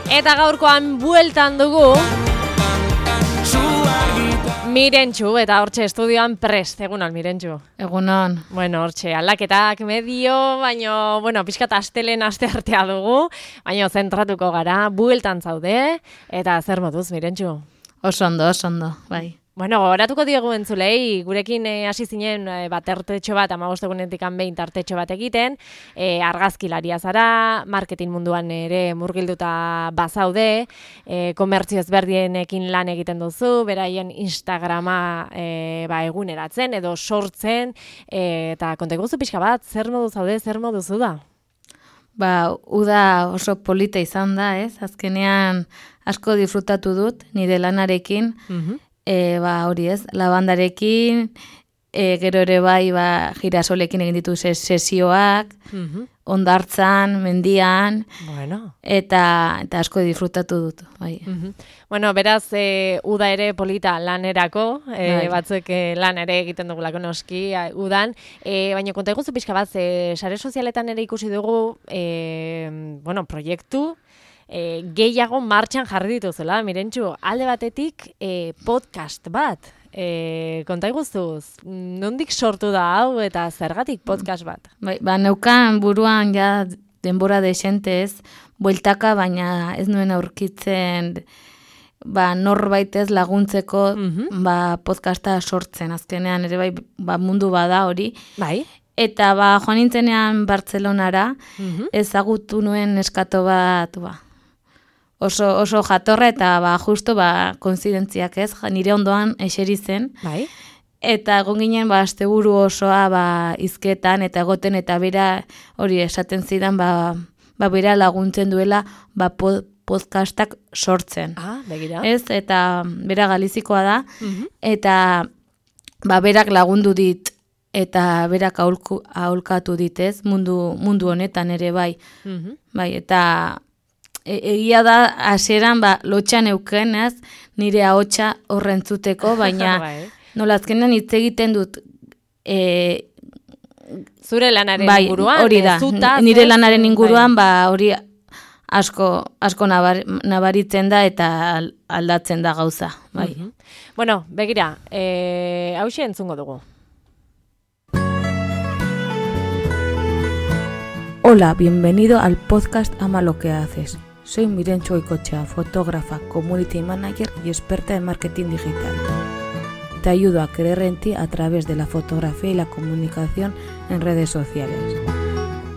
Eta gaurkoan bueltan dugu Mirentxu, eta hortxe estudioan prest, egunon Mirentxu. Egunon. Bueno, hortxe aldaketak medio, baino, pixkat astelen asteartea dugu, baino zentratuko gara, bueltan zaude, eta zer moduz Mirentxu? Oso ondo, bai. Bueno, gogoratuko diogu entzulei, gurekin hasi zinen tartetxo bat, 15 egunetik behin tartetxo bat egiten, argazkilaria zara, marketing munduan ere murgilduta bazaude, komertzio ezberdienekin lan egiten duzu, beraien Instagrama eguneratzen edo sortzen, eta konta iguzu pixka bat, zer modu zaude, zer modu zu da? Uda oso polita izan da, ez? Azkenean asko disfrutatu dut, nire lanarekin, hori ez, labandarekin, gero ere bai, girasolekin egin ditu sesioak, hondartzan, mendian, eta asko disfrutatu dut. Bai. Bueno, beraz, uda ere polita lanerako, batzuk lan ere egiten dugulako noski, udan, baina konta eguzu pixka bat, sare sozialetan ere ikusi dugu, proiektu, gehiago martxan jarri dituzela, Mirentxu, alde batetik podcast bat. Konta iguztuz, nondik sortu da hau eta zergatik podcast bat? Neukan buruan ja denbora desentez, bueltaka, baina ez nuen aurkitzen norbait ez laguntzeko podcasta sortzen. Azkenean ere mundu bada hori. Bai. Eta joan nintzenean Bartzelonara, ezagutu nuen neskato bat, oso jatorra eta justo koinzidentziak ez, nire ondoan eseri zen. Bai. Eta egon ginen asteburu osoa hizketan eta egoten eta bera hori esaten zidan bera laguntzen duela podcastak sortzen. Begira. Ez, eta bera galizikoa da, eta berak lagundu dit eta berak aholkatu dit, ez, mundu honetan ere bai. Bai, eta egia da, hasieran lotxan euken, ez, nire ahotsa horrentzuteko, baina nola azkenan hitz egiten dut zure lanaren inguruan, hori da, nire lanaren inguruan, hori asko nabaritzen da eta aldatzen da gauza, bai. Bueno, begira, hauxe entzungo dugu. Hola, bienvenido al podcast Ama lo que haces. Soy Mirentxu Goikoetxea, fotógrafa, community manager y experta en marketing digital. Te ayudo a creer en ti a través de la fotografía y la comunicación en redes sociales.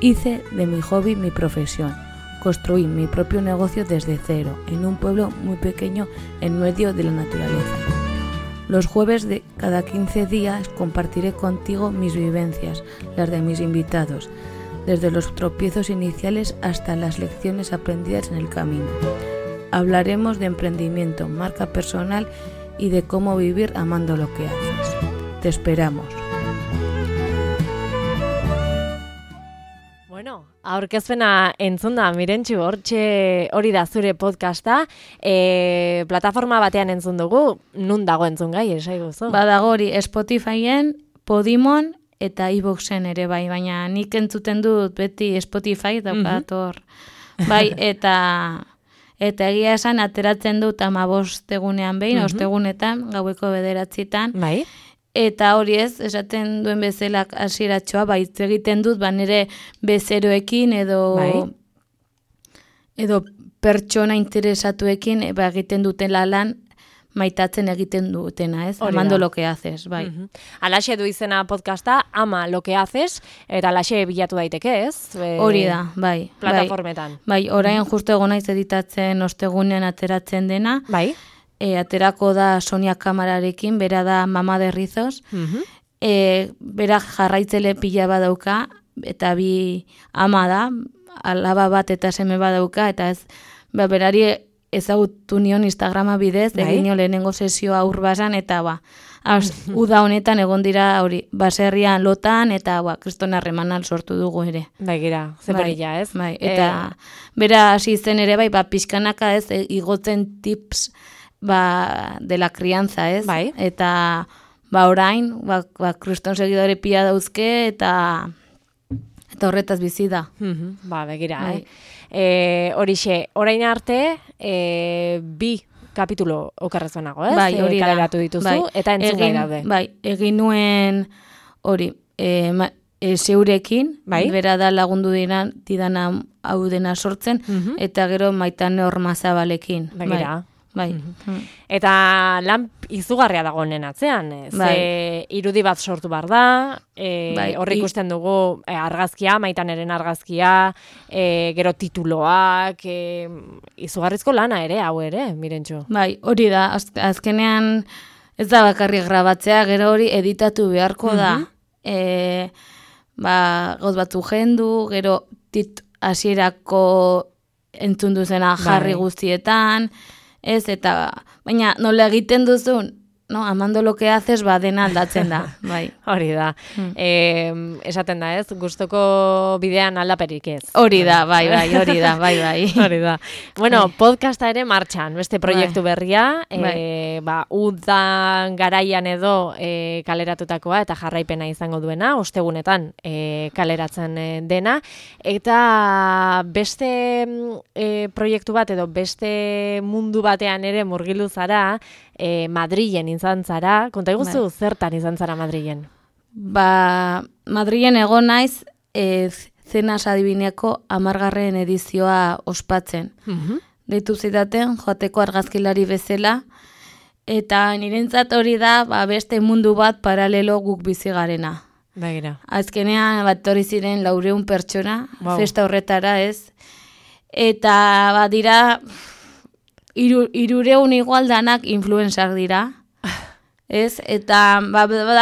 Hice de mi hobby mi profesión. Construí mi propio negocio desde cero, en un pueblo muy pequeño en medio de la naturaleza. Los jueves de cada 15 días compartiré contigo mis vivencias, las de mis invitados, desde los tropiezos iniciales hasta las lecciones aprendidas en el camino. Hablaremos de emprendimiento, marca personal y de cómo vivir amando lo que haces. Te esperamos. Bueno, aurkezpena entzun da, Mirentxu, hori da zure podcasta, plataforma batean entzun dugu, nun dago entzun gai, esaiguzu? Badago hori, Spotifyen, Podimon, eta iVooxen ere bai, baina nik entzuten dut beti Spotify daukat hor. Bai, eta egia esan ateratzen dut 15 egunean behin, ostegunetan, gaueko 9:00. Bai. Eta hori ez, esaten duen bezala hasieratxoa, hitz egiten dut, nire bezeroekin edo pertsona interesatuekin egiten dutela lan, maitatzen egiten dutena, ez? Amando lo que haces, bai. Alaxe du izena podcasta, Ama lo que haces, eta alaxe bilatu daiteke, ez? Hori da, bai. Plataformetan. Bai, orain justo egon naiz editatzen ostegunean ateratzen dena. Bai. Aterako da Sonia Kamararekin, bera da Mama de Rizos. Bera jarraitzele pila badauka, eta bi ama da, alaba bat eta seme badauka, eta ez, berari ezagutu nion Instagrama bidez, egin nio lehenengo sesioa Urbasan, eta uda honetan egon dira hori, baserrian lotan, eta kriston harremanal sortu dugu ere. Begira, zeporila, ez? Bai, eta bera hasi zen ere, pixkanaka ez, igotzen tips de la crianza, ez? Bai. Eta orain, kriston seguidore pila dauzke, eta horretaz bizi da. Begira, Horixe, orain arte, 2 kapitulo okerrezonago, ez? Bai, hori da. Kaleratu dituzu, eta entzungai daude. Bai, egin nuen hori, zeurekin, bera da lagundu didana hau dena sortzen, eta gero Maitane Ormazabalekin. Begira. Bai. Eta lan izugarria dago honen atzean, ze irudi bat sortu behar da, horri ikusten dugu argazkia, Maitaneren argazkia, gero tituloak, izugarrizko lana ere, hau ere, Mirentxu. Bai, hori da, azkenean ez da bakarrik grabatzea, gero hori editatu beharko da. Gauz batzu jendu, gero hasierako entzun duzena jarri guztietan, ez, eta, baina nola egiten duzun, no, amando lo que haces, dena aldatzen da, bai. Hori da. Esaten da, ez, gustoko bidean aldaperik ez. Hori da, bai. Hori da. Bueno, podcasta ere martxan, beste proiektu berria, udan garaian edo kaleratutakoa eta jarraipena izango duena, ostegunetan kaleratzen dena, eta beste proiektu bat edo beste mundu batean ere murgilu zara, Madrilen izan zara, konta iguzu zertan izan zara Madrilen? Madrilen egon naiz Zenas Adibineako 10. edizioa ospatzen. Deitu zidaten, joateko argazkilari bezala, eta nirentzat hori da beste mundu bat paralelo guk bizi garena. Begira. Azkenean hori ziren 400 pertsona, festa horretara ez, eta dira 300 igual danak influencer dira, ez? Eta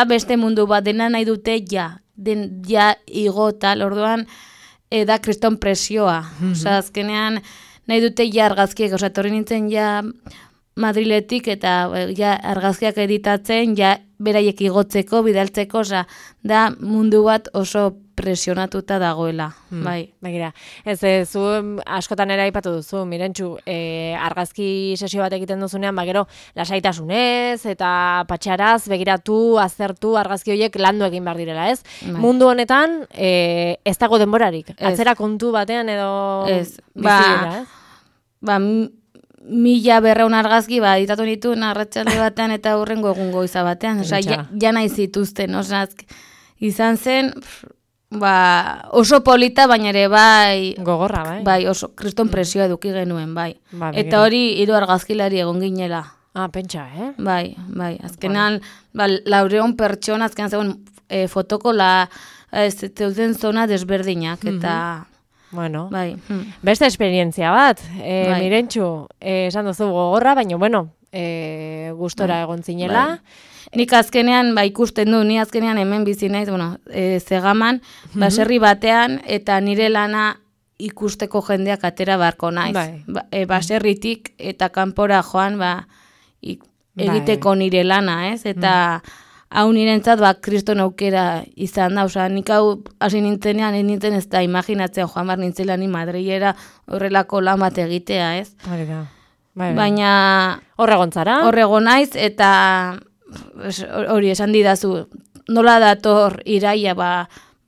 beste mundu bat dena nahi dute ja igota, orduan da kriston presioa. Osa, azkenean nahi dute ja argazkiek, osa, torri nintzen ja Madriletik eta ja argazkiak editatzen, ja beraiek igotzeko, bidaltzeko, osa, da mundu bat oso presionatuta dagoela, bai. Begira, zu askotan ere aipatu duzu, Mirentxu, argazki sesio bat egiten duzunean, gero lasaitasunez eta patxaraz, begiratu, aztertu, argazki horiek landu egin behar direla, ez? Bai. Mundu honetan, ez dago denborarik, atzera kontu batean edo bizira, ez? 1.200 argazki, editatu nitu arratsalde batean eta hurrengo egungo goiza batean, oza, ja nahi zituzten, oza, izan zen, oso polita, baina ere gogorra, bai, oso kriston presioa eduki genuen, bai. Eta hori 3 argazkilari egon ginela. Pentsa, Bai, azkenan, 400 pertsona, azkenan zegoen fotoko zeuden zona desberdinak, eta... Bueno, bai. Beste esperientzia bat, Mirentxu, esan duzu gogorra, baina, gustora egon zinela. Nik azkenean, ikusten du, ni azkenean hemen bizi naiz, Zegaman, baserri batean, eta nire lana ikusteko jendeak atera beharko naiz. Baserritik eta kanpora joan, egiteko nire lana, ez? Eta hau nirentzat, kriston aukera izan da, oza, nik hau hasi nintzenean, nintzen ez da imaginatzen joan bar nintzela ni Madrilera horrelako lan bat egitea, ez? Baina... Horregon zara? Horregon naiz, eta hori esan didazu, nola dator iraia,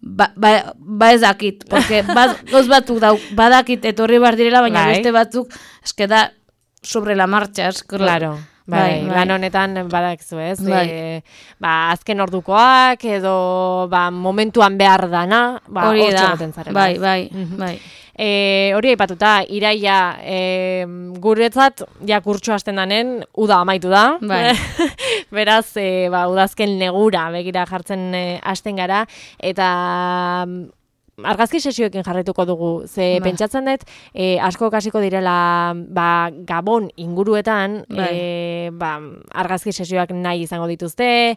ez dakit, porque goz batzuk badakit etorri bar direla, baina beste batzuk, eske da sobre la marcha, Claro. Lan honetan badakizu, ez? Azken ordukoak edo momentuan behar dana, hori da, bai. Hori aipatuta, iraia guretzat, kurtsu hasten danen, uda amaitu da. Beraz, udazken negura begira jartzen hasten gara, eta... Argazki sesioekin jarraituko dugu, ze pentsatzen dut, asko kasiko direla Gabon inguruetan, argazki sesioak nahi izango dituzte,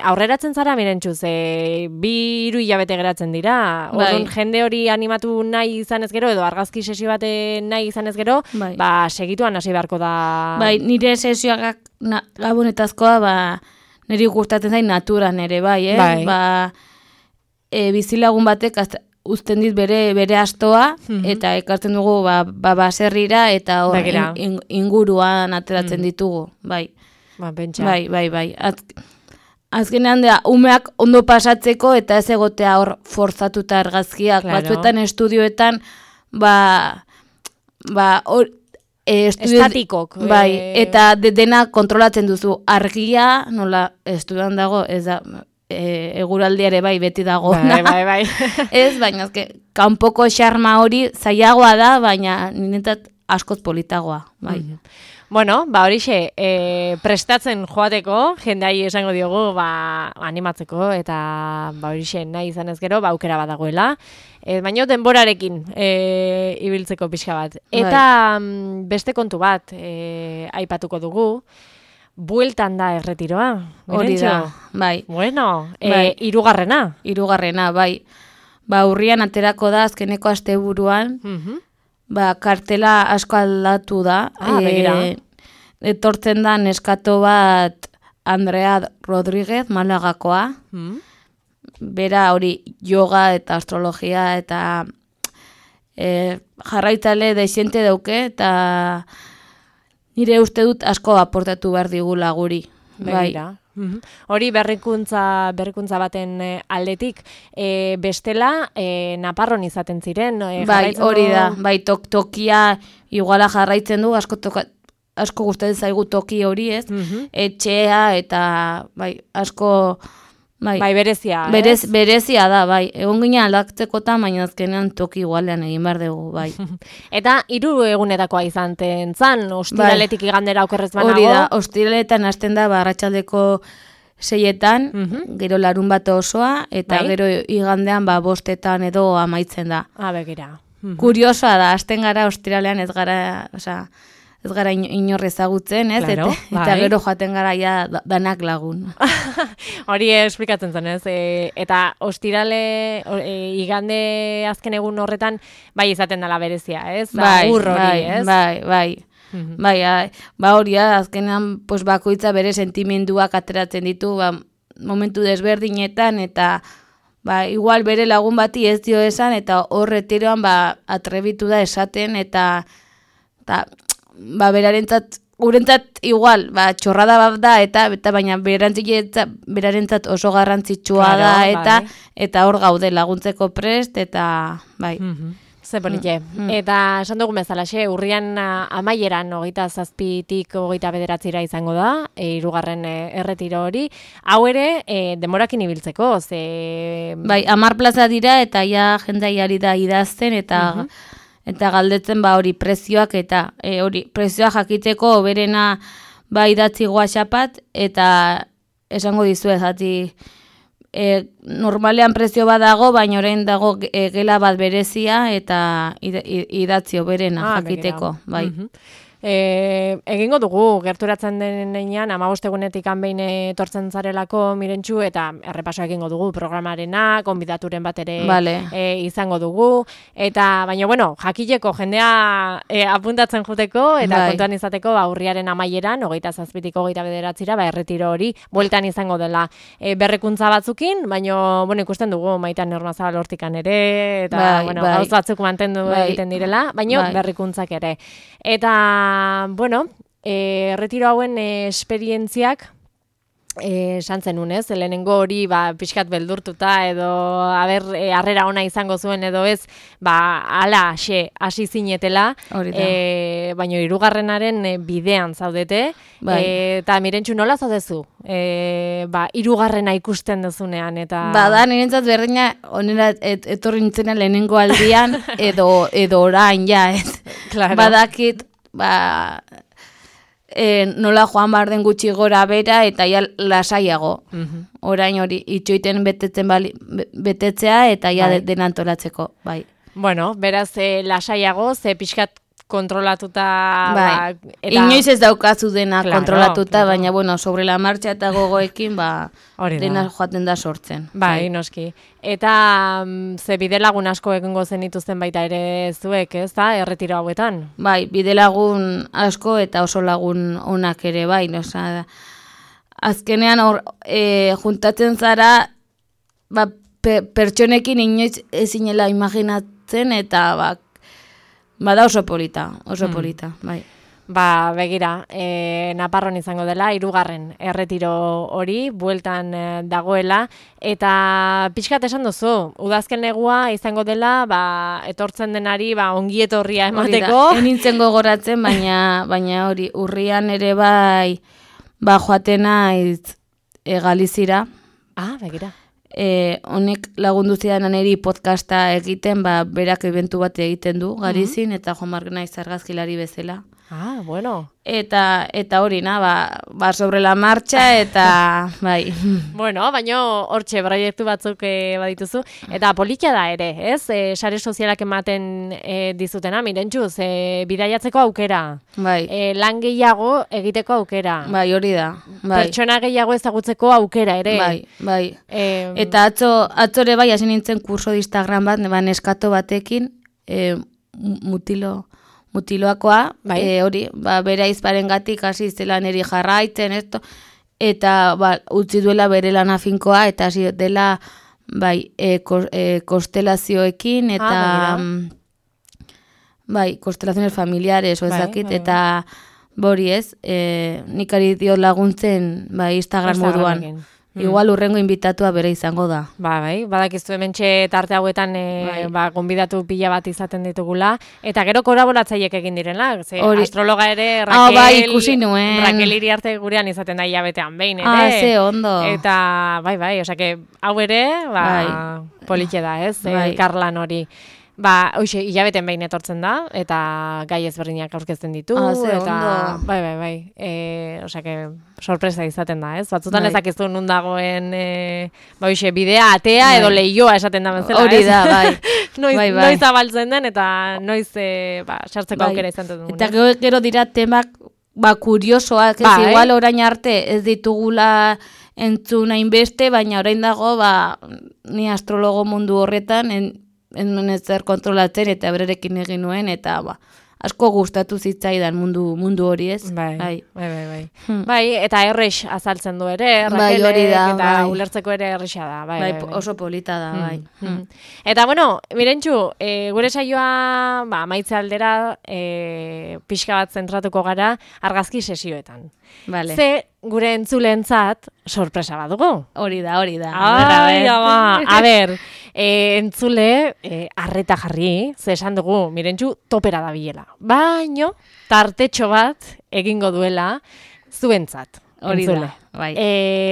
aurreratzen zara, Mirentxu, ze 2-3 hilabete geratzen dira, orduan jende hori animatu nahi izanez gero, edo argazki sesio bate nahi izanez gero, segituan hasi beharko da... Nire sesioak Gabonetazkoa, niri gustatzen zain naturan ere, bizilagun batek uzten dit bere astoa, eta ekartzen dugu baserrira, eta inguruan ateratzen ditugu, bai. Bai. Azkenean da, umeak ondo pasatzeko, eta ez egotea hor forzatuta argazkiak, batzuetan estudioetan, estatikok. Bai, eta dena kontrolatzen duzu. Argia, nola, estudian dago, ez da, eguraldiare bai beti dago. Bai. Ez, baina kanpoko xarma hori zailagoa da, baina niretzat askoz politagoa, bai. Bueno, horixe, prestatzen joateko, jendai esango diogu, animatzeko, eta horixe nahi izan ez gero, aukera bat dagoela. Baina denborarekin ibiltzeko pixka bat. Eta beste kontu bat aipatuko dugu, bueltan da erretiroa. Hori da, bai. Bueno, hirugarrena, bai. Urrian aterako da azkeneko asteburuan, kartela asko aldatu da. Etortzen da neskato bat Andrea Rodríguez, Malagakoa. Bera hori yoga eta astrologia eta jarraitzale desiente dauke eta nire uste dut asko aportatu behar digula guri. Begira. Hori berrikuntza baten aldetik, bestela Naparron izaten ziren. Bai, hori da, bai, tokia iguala jarraitzen du, asko gustatzen zaigu toki hori, ez? Etxea eta bai, asko bai, berezia. Berezia da, bai. Egon ginen aldaktekotan, baina azkenean toki igualean egin behar dugu, bai. Eta 3 egunetakoa izan zan, ostiraletik igandera okerrez banago? Hori da, ostiraletan hasten da, arratsaldeko 6etan, gero larun bat osoa, eta gero igandean 5etan edo amaitzen da. Begira. Kuriosoa da, hasten gara ostiralean ez gara inor ezagutzen, ez? Claro, eta gero joaten gara ja danak lagun. Hori esplikatzen zen, ez? Eta ostirale, igande azken egun horretan, bai izaten dela berezia, ez? Ez? Bai, hori, azkenean bakoitza bere sentimenduak ateratzen ditu, momentu desberdinetan, eta igual bere lagun bati ez dio esan, eta hor retiroan atrebitu da esaten, eta berarentzat, gurentzat igual, txorrada bat da, eta baina berarentzat oso garrantzitsua da, eta hor gaude laguntzeko prest, eta bai. Ze bonite. Eta esan dugun bezalaxe, urrian amaieran 27tik 29 izango da, 3. erretiro hori. Hau ere, denborakin ibiltzeko, ze... Bai, 10 plaza dira, eta ja jendaiari da idazten, eta galdetzen hori prezioak, eta hori prezioak jakiteko berena idatzi WhatsAppat, eta esango dizu ezati normalean prezio bat dago, baina orain dago gela bat berezia, eta idatzio berena jakiteko, bai. Egingo dugu, gerturatzen denean, 15 egunetik behin etortzen zarelako Mirentxu, eta errepaso egingo dugu programarena, konbidaturen bat ere izango dugu, eta baina, bueno, jakileko jendea apuntatzen juteko, eta kontuan izateko urriaren amaieran, 27tik 29 erretiro hori, bueltan izango dela berrikuntza batzukin, baina, bueno, ikusten dugu Maitan Normazabal hortikan ere, eta, bueno, gauz batzuk mantendu egiten direla, baina berrikuntzak ere. Eta bueno, retiro hauen esperientziak esan zenun, ez? Lehenengo hori pixkat beldurtuta edo harrera ona izango zuen edo ez, ala hasi zinetela, baina 3. bidean zaudete, eta Mirentxu nola zaudezu? 3. ikusten duzunean, eta... Da, nirentzat berdina, onera etorri nintzena lehenengo aldian, edo orain, ja, ez? Badakit, nola joan behar den gutxi gora bera eta ja lasaiago. Orain hori itxoiten betetzea eta ja dena antolatzeko, bai. Bueno, beraz lasaiago, ze pixkat kontrolatuta... Inoiz ez daukazu dena kontrolatuta, baina, bueno, sobre la marcha eta gogoekin, dena joaten da sortzen. Bai, noski. Eta ze bidelagun asko egingo zenituzten baita ere zuek, ez da, erretiro hauetan? Bai, bidelagun asko eta oso lagun onak ere, bai, azkenean juntatzen zara, pertsonekin inoiz ezinela imaginatzen, eta bada oso polita, bai. Ba, begira, Naparron izango dela, 3. erretiro hori, bueltan dagoela, eta pixkat esan duzu, udazken negua izango dela, ba, etortzen denari, ba, ongi etorria emateko. Enintzen gogoratzen, baina hori, urrian ere bai, ba, joaten naiz Galizira. Ah, begira. Honek lagundu zidan niri podcasta egiten, ba, berak eventu bat egiten du, Galizin, eta Juan Marc naiz argazkilari bezala. Ah, bueno. Eta hori, ba, sobre la marcha, eta bai. Bueno, baina hortxe proiektu batzuk badituzu, eta politia da ere, ez? Sare sozialak ematen dizutena, Mirentxuz, bidaiatzeko aukera. Bai. Lan gehiago egiteko aukera. Bai, hori da. Bai. Pertsona gehiago ezagutzeko aukera ere. Bai. Eta atzore bai, hasi nintzen kurso de Instagram bat, neskato batekin, mutiloakoa, bai. Hori, ba, bere aizparengatik hasi zela niri jarraitzen, eta ba, utzi duela bere lana finkoa, eta hasi dela bai, konstelazioekin, eta bai, konstelaziones familiares, ezakit, eta bori ez, nik ari dio laguntzen bai, Instagram moduan. Igual urrengo invitatua bere izango da. Bai, badakizu hementxe tarte hauetan ba, gonbidatu pila bat izaten ditugula, eta gero kolaboratzaileek egin direla, ze astrologa ere bai, ikusi nuen. Raquel Iriarte gurean izaten da hilabetean behin ere. Ze ondo. Eta bai, osake, hau ere, ba, politxe da, ez, elkarlan hori. Ba, hoxe, hilabeten behin etortzen da, eta gai ezberdinak aurkezten ditu, eta bai, osake, sorpresa izaten da, ez? Batzutan ezakizu nun dagoen, ba, hoxe, bidea, atea, edo lehioa esaten da bezala, ez? Hori da, bai. Noiz abaltzen den, eta noiz, sartzeko aukera izan dut. Eta gero dira temak, ba, kuriosoak, ez igual orain arte ez ditugula entzun hainbeste, baina orain dago, ba, ni astrologo mundu horretan, ez zer kontrolatzen eta bererekin egin nuen, eta ba, asko gustatu zitzaidan mundu hori, ez? Bai. Bai, eta errex azaltzen du ere, Raquelek, hori da, eta ulertzeko ere errexa da. Bai, oso polita da, bai. Eta, bueno, Mirentxu, gure saioa, ba, maitze aldera, pixka bat zentratuko gara argazki sesioetan. Vale. Ze gure entzulentzat sorpresa bat dugu. Hori da. A ber, entzule, arreta jarri, ze esan dugu, Mirentxu, topera da bilela. Baino, tartetxo bat egingo duela zuentzat. Hori da, bai.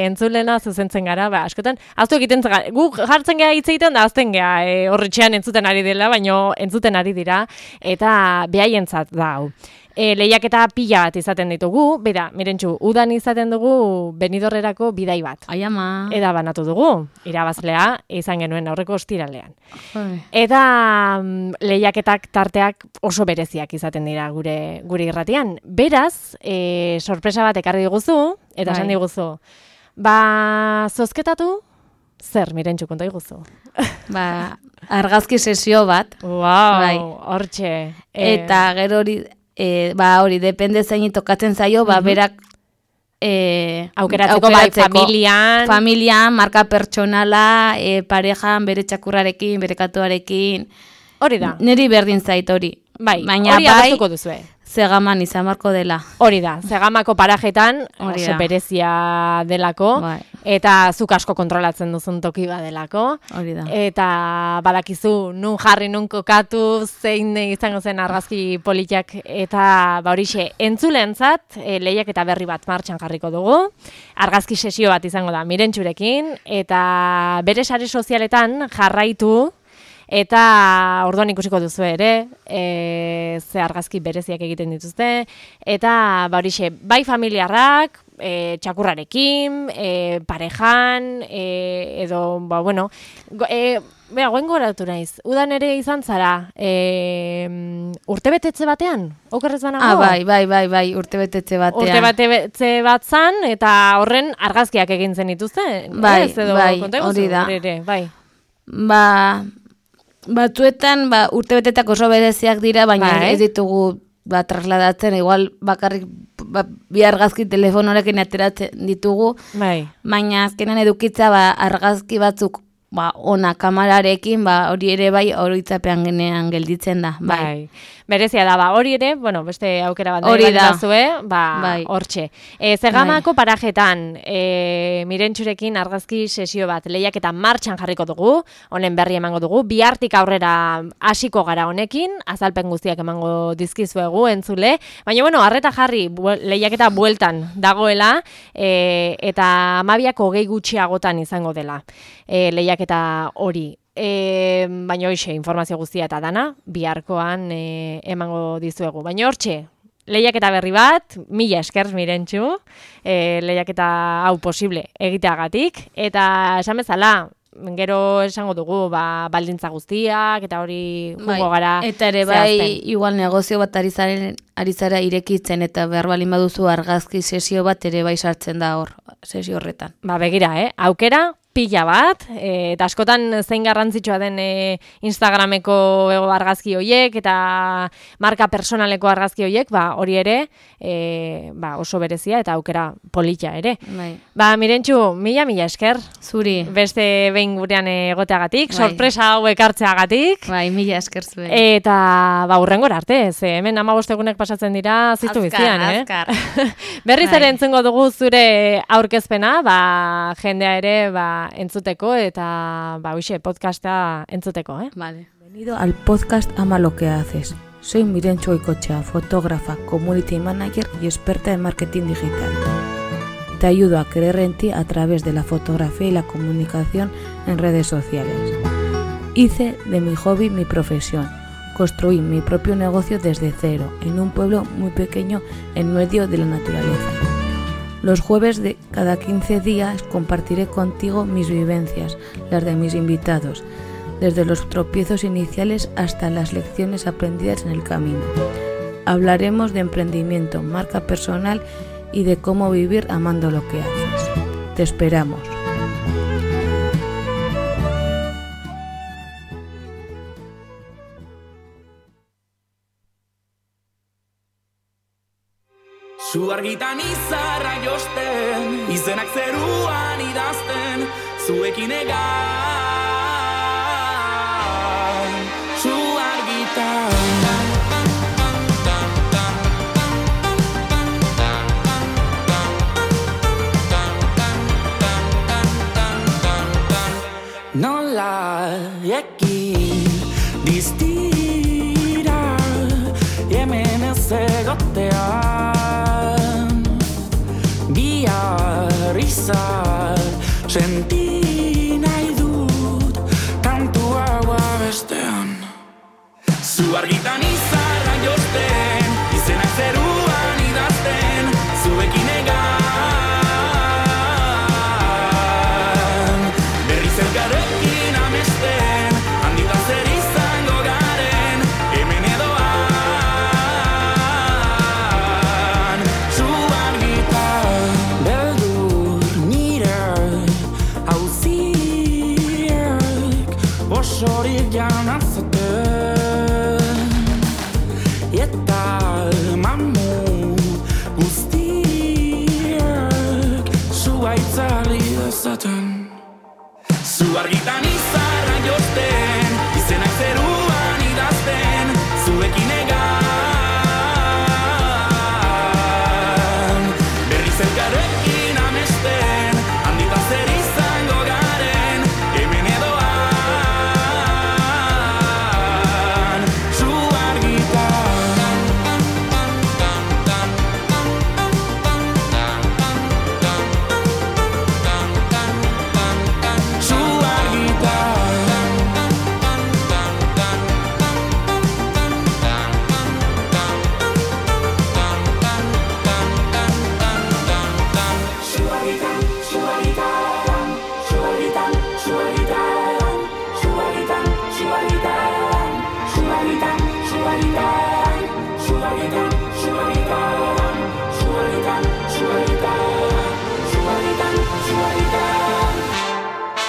Entzulena zuzentzen gara, ba, askotan, aztu egiten gara, gu jartzen gara hitz egiten da, azten gara horretxean entzuten ari dela, baino entzuten ari dira, eta behaientzat da hau. Lehiaketa pila bat izaten ditugu, bera, Mirentxu, udan izaten dugu Benidorrerako bidai bat. Ai ama. Eta banatu dugu, irabazlea izan genuen aurreko ostiralean. Eta lehiaketak tarteak oso bereziak izaten dira gure irratian. Beraz, sorpresa bat ekarri diguzu, eta esan diguzu, ba, zozketatu, zer, Mirentxu, konta diguzu? Ba, argazki sesio bat. Wow, hortxe. Eta gero hori, ba hori, depende zein tokatzen zaio, ba berak aukeratzeko familian, marka pertsonala, parejan, bere txakurrarekin, bere katuarekin. Hori da. Neri berdin zait hori. Bai, hori adostuko duzue. Zegaman izan marko dela. Hori da, Zegamako parajetan oso berezia delako, eta zuk asko kontrolatzen duzun toki badelako. Hori da. Eta badakizu, nun jarri, nun kokatu, zein izango zen argazki politiak, eta ba horixe, entzulentzat, lehiak eta berri bat martxan jarriko dugu. Argazki sesio bat izango da Mirentxurekin, eta bere sare sozialetan jarraitu, eta orduan ikusiko duzu ere, ze argazki bereziak egiten dituzte, eta ba horixe, bai familiarrak, txakurrarekin, parejan, edo, ba, bueno, goen goratu naiz, udan ere izan zara, urtebetetze batean, okerrez banago? Bai, urtebetetze batean. Urtebetetze bat zan, eta horren argazkiak egin zen dituzte? Bai, hori da. Ba, batzuetan, urtebetetak oso bereziak dira, baina ez ditugu trasladatzen, igual bakarrik bi argazki telefonorekin ateratzen ditugu, baina azkenan edukitza argazki batzuk ona kamararekin, hori ere bai oroitzapean genean gelditzen da. berezia da, hori ere, bueno, beste aukera bat hori da zue, hortxe. Zegamako parajetan, Mirentxurekin argazki sesio bat, lehiaketa martxan jarriko dugu, honen berri emango dugu, bihartik aurrera hasiko gara honekin, azalpen guztiak emango dizkizuegu entzule, baina bueno, arreta jarri, lehiaketa bueltan dagoela, eta 12 gutxiagotan izango dela lehiaketa hori. Baina hoxe, informazio guztia eta dana, biharkoan emango dizuegu. Baina hortxe, lehiaketa berri bat, 1000 esker Mirentxu, lehiaketa hau posible egiteagatik, eta esan bezala, gero esango dugu, baldintza guztiak, eta hori jungo gara. Eta ere igual negozio bat ari zara irekitzen, eta behar balin baduzu argazki sesio bat ere bai sartzen da hor, sesio horretan. Begira, aukera, pila bat, eta askotan zein garrantzitsua den Instagrameko argazki horiek, eta marka personaleko argazki horiek, hori ere, oso berezia, eta aukera polita ere. Mirentxu, mila esker. Zuri. Beste behin gurean egoteagatik, sorpresa hau ekartzeagatik. Mila esker zuen. Eta, hurrengora arte, hemen 15 egunek pasatzen dira, ziztu bizian, Azkar. Berriz ere entzungo dugu zure aurkezpena, jendea ere, entzuteko eta hoxe podcasta entzuteko, Vale. Bienvenido al podcast Ama lo que haces. Soy Mirentxu Goikoetxea, fotógrafa, community manager y experta en marketing digital. Te ayudo a creer en ti a través de la fotografía y la comunicación en redes sociales. Hice de mi hobby mi profesión. Construí mi propio negocio desde cero, en un pueblo muy pequeño en medio de la naturaleza. Los jueves de cada 15 días compartiré contigo mis vivencias, las de mis invitados, desde los tropiezos iniciales hasta las lecciones aprendidas en el camino. Hablaremos de emprendimiento, marca personal y de cómo vivir amando lo que haces. Te esperamos. Zu argitan izarra josten, izenak zeruan idazten, zuekin egan. Zu argitan. Nola ekin diztira, hemen ez egotea. Izar, senti nahi dut kantu hau abestean. Zu argitan izarra josten, izenak zeruan idazten, zuekin egan. Berriz elkarrekin amesten, handitan zer izango garen, hemen edoan. Zu argitan, osorik janazaten, eta mamu guztiak zuaitzari dezaten. Zu argitan